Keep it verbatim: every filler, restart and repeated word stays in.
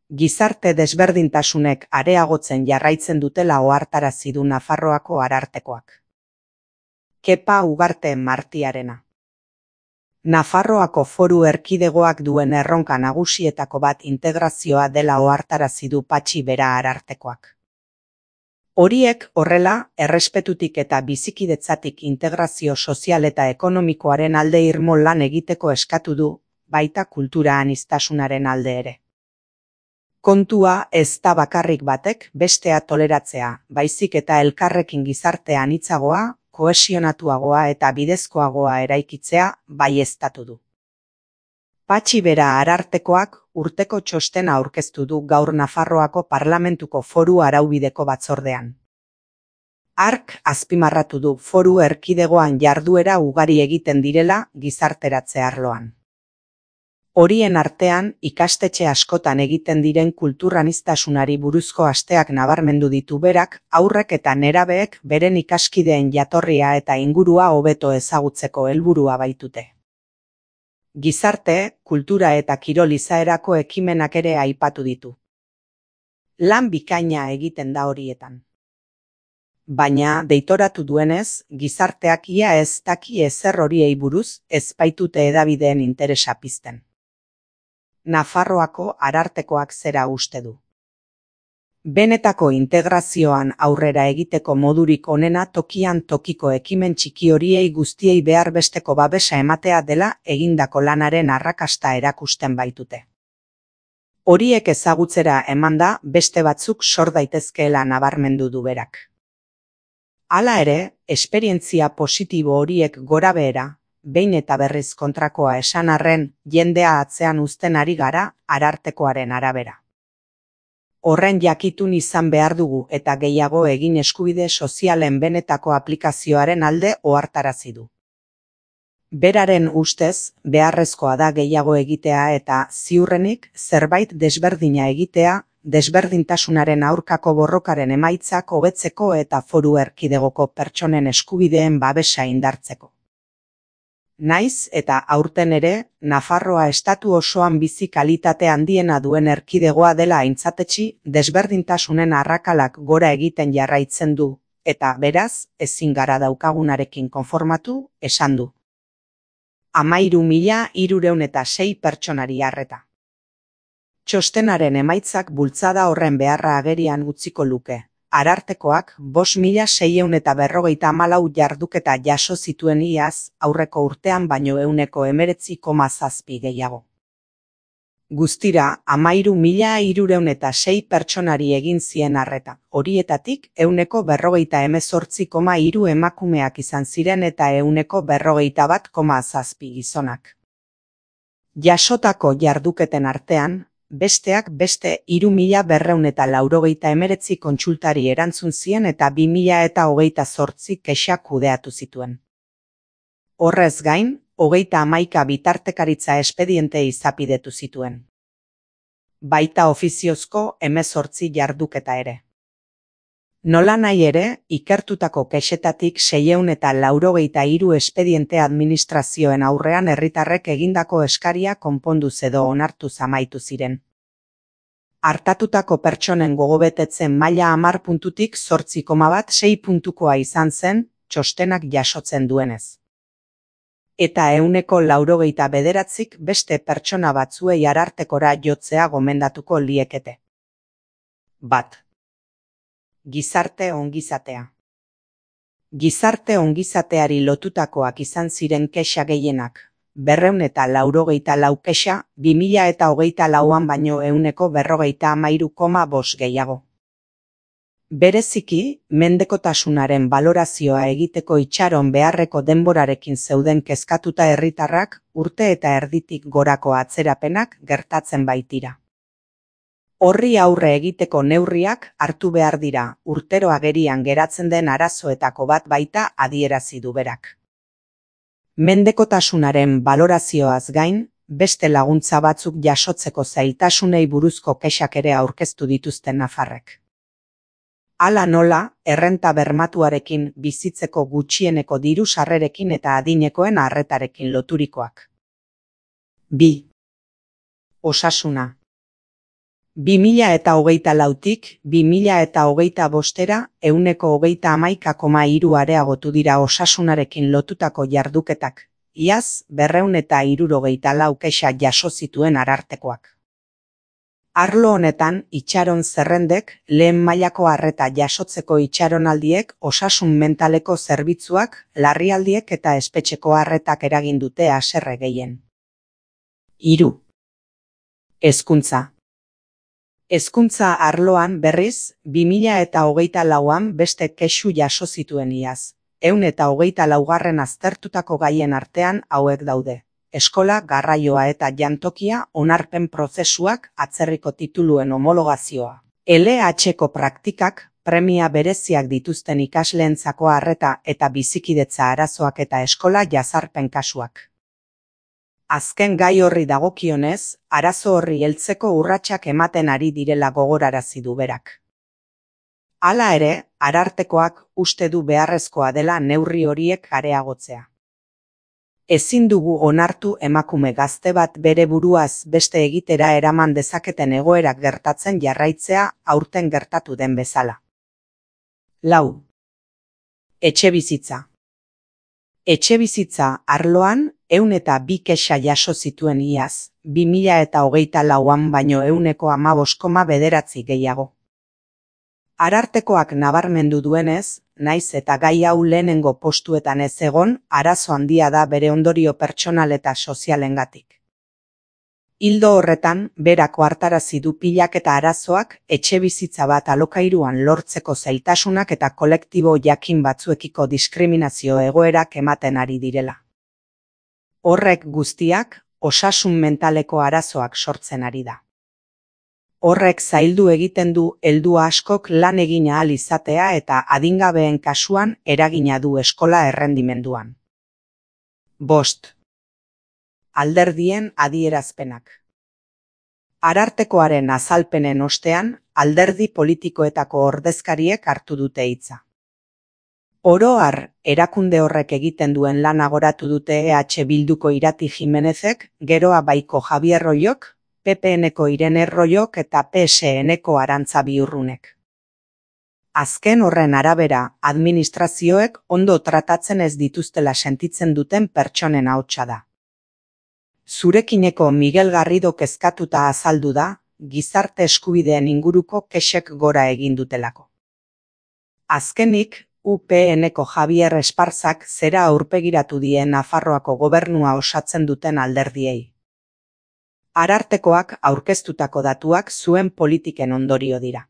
Gizarte desberdintasunek areagotzen jarraitzen dutela ohartarazi du Nafarroako Arartekoak. Kepa Ugarte Martiarena. Nafarroako Foru Erkidegoak duen erronka nagusietako bat integrazioa dela ohartarazi du Patxi Bera Arartekoak. Horiek horrela, errespetutik eta bizikidetzatik integrazio sozial eta ekonomikoaren alde irmo lan egiteko eskatu du, baita kultura aniztasunaren alde ere. Kontua ez da bakarrik batek bestea toleratzea, baizik eta elkarrekin gizarte anitzagoa, kohesionatuagoa eta bidezkoagoa eraikitzea baieztatu du. Patxi Bera Arartekoak urteko txostena aurkeztu du gaur Nafarroako Parlamentuko Foru Araubideko Batzordean. Hark azpimarratu du Foru Erkidegoan jarduera ugari egiten direla gizarteratze arloan. Horien artean, ikastetxe askotan egiten diren kulturaniztasunari buruzko asteak nabarmendu ditu berak, haurrek eta nerabeek beren ikaskideen jatorria eta ingurua hobeto ezagutzeko helburua baitute. Gizarte, kultura eta kirol izaerako ekimenak ere aipatu ditu. Lan bikaina egiten da horietan. Baina, deitoratu duenez, gizarteak ia ez daki ezer horiei buruz ez baitute hedabideen interesa pizten. Nafarroako Arartekoak zera uste du. Benetako integrazioan aurrera egiteko modurik onena tokian tokiko ekimen txiki horiei guztiei behar besteko babesa ematea dela egindako lanaren arrakasta erakusten baitute. Horiek ezagutzera emanda beste batzuk sor daitezkeela nabarmendu du berak. Hala ere, esperientzia positibo horiek gorabehera, behin eta berriz kontrakoa esan arren, jendea atzean uzten ari gara Arartekoaren arabera. Horren jakitun izan behar dugu eta gehiago egin eskubide sozialen benetako aplikazioaren alde ohartarazi du. Beraren ustez, beharrezkoa da gehiago egitea eta, ziurrenik, zerbait desberdina egitea, desberdintasunaren aurkako borrokaren emaitzak hobetzeko eta Foru Erkidegoko pertsonen eskubideen babesa indartzeko. Naiz eta aurten ere, Nafarroa estatu osoan bizi kalitate handiena duen erkidegoa dela aintzatetsi desberdintasunen arrakalak gora egiten jarraitzen du, eta beraz, ezin gara daukagunarekin konformatu, esan du. Hamairu mila hirurehun eta sei pertsonari arreta. Txostenaren emaitzak bultzada horren beharra agerian utziko luke. Arartekoak bost mila seiehun eta berrogeita hamalau jarduketa jaso zituen iaz, aurreko urtean baino ehuneko hemeretzi koma zazpi gehiago. Guztira, hamairu mila hirurehun eta sei pertsonari egin zien arreta, horietatik ehuneko berrogeita hemezortzi koma hiru emakumeak izan ziren eta ehuneko berrogeita bat koma zazpi gizonak. Jasotako jarduketen artean, besteak beste hiru mila berrehun eta laurogeita hemeretzi kontsultari erantzun zien eta bi mila eta hogeita zortzi kexa kudeatu zituen. Horrez gain, hogeita hamaika bitartekaritza espediente izapidetu zituen. Baita ofiziozko hemezortzi jarduketa ere. Nola nahi ere, ikertutako kexetatik seiehun eta laurogeita hiru espediente administrazioen aurrean herritarrek egindako eskaria konponduz edo onartuz amaitu ziren. Artatutako pertsonen gogobetetzen maila hamar puntutik zortzi koma bat sei puntukoa izan zen, txostenak jasotzen duenez. Eta ehuneko laurogeita bederatzik beste pertsona batzuei Arartekora jotzea gomendatuko liekete. Bat. Gizarte ongizatea. Gizarte ongizateari lotutakoak izan ziren kexa gehienak, berrehun eta laurogeita lau kexa, bi mila eta hogeita lauan baino ehuneko berrogeita hamairu koma bost gehiago. Bereziki, mendekotasunaren balorazioa egiteko itxaron beharreko denborarekin zeuden kezkatuta herritarrak urte eta erditik gorako atzerapenak gertatzen baitira. Horri aurre egiteko neurriak hartu behar dira, urtero agerian geratzen den arazoetako bat baita adierazi du berak. Mendekotasunaren balorazioaz gain, beste laguntza batzuk jasotzeko zailtasunei buruzko kexak ere aurkeztu dituzten nafarrek. Hala nola, errenta bermatuarekin bizitzeko gutxieneko diru sarrerekin eta adinekoen arretarekin loturikoak. Bi. Osasuna. bi mila eta hogeita lautik bi mila eta hogeita bostera ehuneko hogeita hamaika koma hiru areagotu dira osasunarekin lotutako jarduketak, iaz berrehun eta hirurogeita lau kexa jaso zituen arartekoak. Arlo honetan, itxaron zerrendek, lehen mailako arreta jasotzeko itxaronaldiek, osasun mentaleko zerbitzuak, larrialdiek eta espetxeko arretak eragin dute haserre gehien. Hiru. Hezkuntza. Hezkuntza arloan berriz, bi mila eta hogeita lauan beste kexu jaso zituen iaz. Ehun eta hogeita laugarren aztertutako gaien artean hauek daude. Eskola, garraioa eta jantokia, onarpen prozesuak, atzerriko tituluen homologazioa. L H-ko praktikak, premia bereziak dituzten ikasleentzako arreta eta bizikidetza arazoak eta eskola jazarpen kasuak. Azken gai horri dagokionez, arazo horri heltzeko urratsak ematen ari direla gogorarazi du berak. Hala ere, arartekoak uste du beharrezkoa dela neurri horiek areagotzea. Ezin dugu onartu emakume gazte bat bere buruaz beste egitera eraman dezaketen egoerak gertatzen jarraitzea aurten gertatu den bezala. Lau. Etxebizitza. Etxebizitza arloan ehun eta bi kexa jaso zituen iaz, bi mila eta hogeita lauan baino ehuneko hamabost koma bederatzi gehiago. Arartekoak nabarmendu duenez, naiz eta gai hau lehenengo postuetan ez egon, arazo handia da bere ondorio pertsonal eta sozialengatik. Ildo horretan, berako hartarazi du pilak eta arazoak etxebizitza bat alokairuan lortzeko zailtasunak eta kolektibo jakin batzuekiko diskriminazio egoerak ematen ari direla. Horrek guztiak, osasun mentaleko arazoak sortzen ari da. Horrek zaildu egiten du heldu askok lan egin ahal izatea eta adingabeen kasuan eragina du eskola errendimenduan. Bost. Alderdien adierazpenak. Arartekoaren azalpenen ostean, alderdi politikoetako ordezkariek hartu dute hitza. Oro har, erakunde horrek egiten duen lana goratu dute E H Bilduko Irati Jimenezek, geroa baiko Javier Royok, P P N-ko Irene Royok eta P S N-ko Arantza Biurrunek. Azken horren arabera, administrazioek ondo tratatzen ez dituztela sentitzen duten pertsonen ahotsa da. Zurekineko Miguel Garrido kezkatuta azaldu da, gizarte eskubideen inguruko kexek gora egin dutelako. Azkenik, U P N-ko Javier Esparzak zera aurpegiratu die Nafarroako gobernua osatzen duten alderdiei. Arartekoak aurkeztutako datuak zuen politiken ondorio dira.